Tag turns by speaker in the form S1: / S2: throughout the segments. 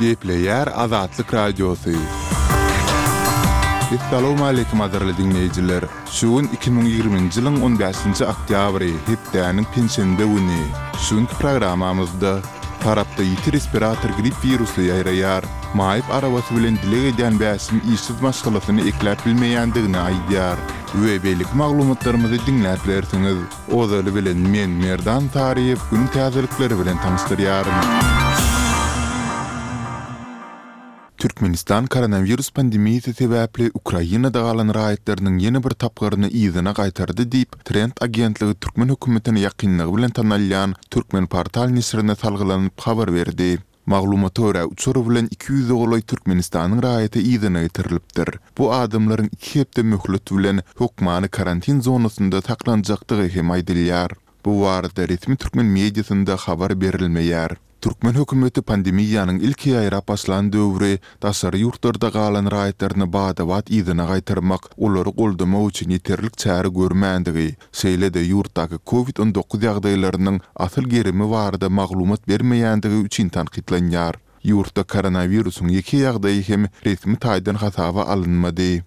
S1: Gepleýär Azatlyk Radiosy. Essalawmaleýkim gadyrly diňleýjiler! Şu gün 2020-nji ýylyň on bäşinji oktýabry, hepdäniň penşenbe güni. Şu günki programmamyzda Farapda ýiti respirator grip wirusy ýaýraýar. Maýyp arabasy bilen dileg edýän Bäşim işsiz maşgalasyny ekläp bilmeýändigini aýdýar we beýleki maglumatlarymyzy diňläp bilersiňiz. Ozaly bilen men Merdan Saryýew günüň täzelikleri bilen tanyşdyrýaryn. Türkmenistan koronawirus pandemiýasy sebäpli Ukrainada galan raýatlarynyň ýene bir tapgyryny yzyna gaýtardy diýip, Trend agentligi türkmen hökümetine ýakynlygy bilen tanalýan Turkmenportal neşirine salgylanyp habar berdi. Maglumata görä, uçar bilen 200-e golaý Türkmenistanyň raýaty yzyna getirilipdir. Bu adamlaryň iki hepde möhlet bilen hökmany karantin zonasynda saklanjakdygy hem aýdylýar. Bu barada resmi türkmen mediasynda habar berilmeýär. Türkmen hökümeti pandemiýanyň ilki ýaýrap başlan döwri daşary ýurtlarda galan raýatlaryny bada-bat yzyna gaýtarmak, olary goldamak üçin ýeterlik çäre görmändigi, şeýle-de ýurtdaky Covid 19 ýagdaýlarynyň asyl gerimi barada maglumat bermeýändigi üçin tankytlanýar. Ýurtda koronawirusyň ýeke ýagdaýy hem resmi taýdan hasaba alynmady.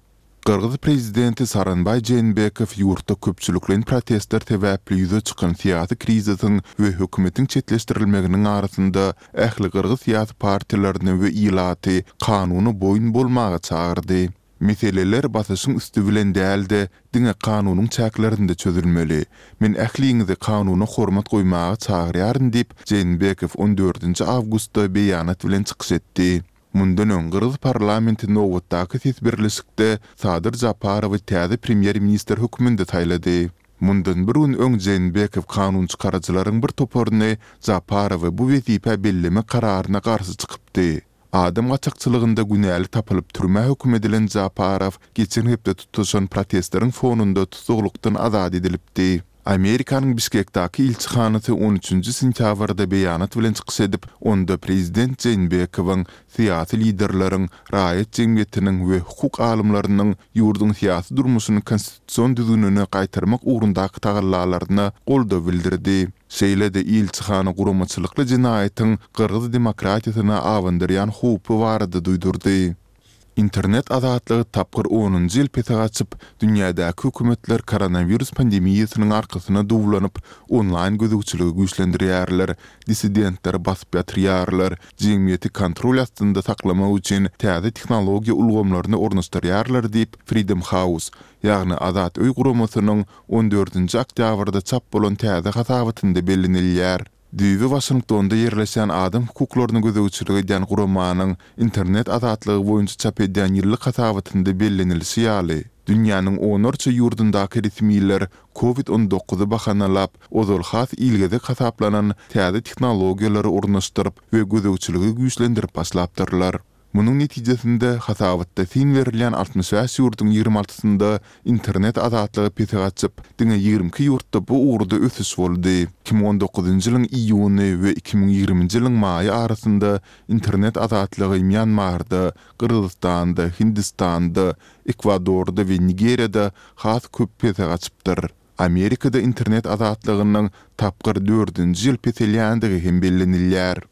S1: Gyrgyz prezidenti Sooronbaý Jeenbekow ýurtda köpçülikleýin protestler sebäpli ýüze çykan syýasy krizisiň we hökümetiň çetleşdirilmeginiň arasynda ähli gyrgyz syýasy partiýalaryny we ilaty kanuna boýun bolmaga çagyrdy. Meseleler basyşyň üsti bilen däl-de, diňe kanunyň çäklerinde çözülmeli. Men ähliňizi kanuna hormat goýmaga çagyrýaryn diýip, Jeenbekow on dördünji awgustda beýanat bilen çykyş etdi. Mundan öň gyrgyz parlamenti nobatdaky ses berlişikde Sadyr Japarowy täze premýer-ministr hökmünde saýlady. Mundan bir gün öň Jeenbekow kanunçykaryjylaryň bir toparyny Japarowy bu wezipä bellemek kararyna garşy çykypdy. Adam gaçakçylygynda günäli tapylyp türmä höküm edilen Japarow geçen hepde tutaşan protestleriň fonunda tussaglykdan azat edilipdi. Amerikanyň Bişkekdäki ilçihanasy on üçünji sentýabrda beýanat bilen çykyş edip, onda prezident Jeenbekowyň, syýasy liderleriň, raýat jemgyýetiniň we hukuk alymlarynyň ýurduň syýasy durmuşyny konstitusion düzgünine gaýtarmak ugrundaky tagallalaryna goldaw bildirdi. Şeýle-de ilçihana guramaçylykly jenaýatyň gyrgyz demokratiýasyna abandyrýan howpy barada duýdurdy. Internet azatlygy tapgyr onunjy ýyl pese gaçyp, dünýädäki hökümetler koronawirus pandemiýasynyň arkasyna duwlanyp, onlaýn gözegçiligi güýçlendirýärler, dissidentleri basyp ýatyrýarlar, jemgyýeti kontrol astynda saklamak üçin täze tehnologiýa ulgamlaryny ornaşdyrýarlar diýip, Freedom House, ýagny Azat öý guramasynyň on dördünji oktýabrda çap bolan täze hasabatynda bellenilýär. Düýbi Waşingtonda ýerleşýän adam hukuklaryna gözegçilik edýän guramanyň internet azatlygy boýunça çap edýän ýyllyk hasabatynda bellenilişi ýaly, dünýäniň onlarça ýurdundaky resmiler Covid on dokuzy bahanalap, ozal has ilgezek hasaplanan täze tehnologiýalary ornaşdyryp we gözegçiligi güýçlendirip başlapdyrlar. Munuň netijesinde, hasabatda syn berilýän 65 ýurduň ýigrimi altysynda internet azatlygy pese gaçyp, diňe 22 ýurtda bu ugurda ösüş boldy. 2019-njy ýylyň iýuny we 2020-nji ýylyň maýy arasynda internet azatlygy Mýanmarda, Gyrgyzystanda, Hindistanda, Ekwadorda we Nigeriýada has köp pese gaçypdyr. Amerikada internet azatlygynyň tapgyr dördünji ýyl peselýändigi hem bellenilýär.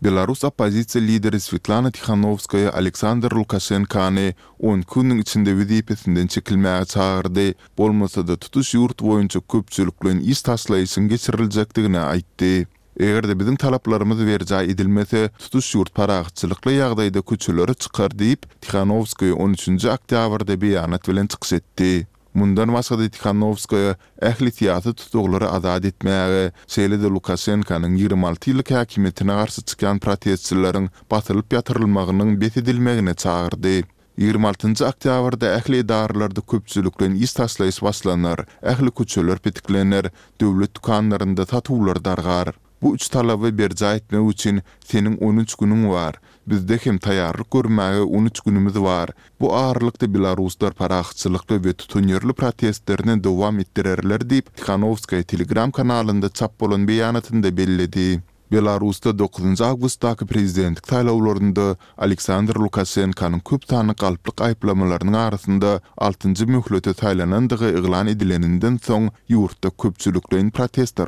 S1: Belarus oppozisiýa lideri Swetlana Tihanowskaýa Aleksandr Lukaşenkany 12 günüň içinde wezipesinden çekilmäge çagyrdy, bolmasa-da tutuş ýurt boýunça köpçülikleýin iş taşlaýyşyň geçiriljekdigini aýtdy. Eger-de biziň talaplarymyz berjaý edilmese, tutuş ýurt parahatçylykly ýagdaýda köçelere çykar diýip, Tihanowskaýa on üçünji oktýabrda beýanat bilen çykyş etdi. Mundan başga-da Tihanowskaýa ähli syýasy tussaglary azat etmäge, şeýle-de Lukaşenkanyň 26 ýyllyk häkimiýetine garşy çykýan protestçileriň basylyp ýatyrylmagynyň bes edilmegine çagyrdy. 26-njy oktýabrda ähli edaralarda köpçülikleýin iş taşlaýyş başlanar, ähli köçeler petiklener, döwlet dükanlarynda satuwlar dargar. Bu üç talaby berjaý etmek üçin seniň on üç günüň bar. Bizde hem taýýarlyk görmäge on üç günümiz bar. Bu aralykda belaruslar parahatçylykly we tutanýerli protestlerini dowam etdirerler diýip, Tihanowskaýa Telegram kanalynda çap bolan beýanatynda belledi. Belarusda dokuzynjy awgustdaky prezidentlik saýlawlarynda Aleksandr Lukaşenkanyň köp sanly galplyk aýyplamalarynyň arasynda altynjy möhlete saýlanandygy yglan edileninden soň ýurtda köpçülikleýin protestler.